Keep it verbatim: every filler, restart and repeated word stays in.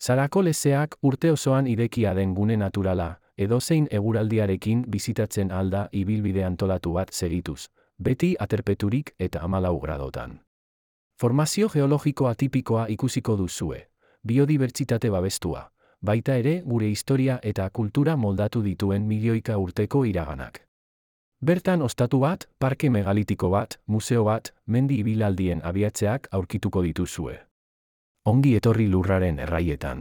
Sarako lezeak urte osoan irekia den gune naturala, edozein eguraldiarekin bizitatzen alda ibilbide antolatu bat segituz, beti aterpeturik eta hamalau gradotan. Formazio geologiko atipikoa ikusiko duzue, biodibertsitate babestua, baita ere gure historia eta kultura moldatu dituen milioika urteko iraganak. Bertan ostatu bat, parke megalitiko bat, museo bat, mendi ibilaldien abiatzeak aurkituko dituzue. Ongi etorri lurraren erraietan.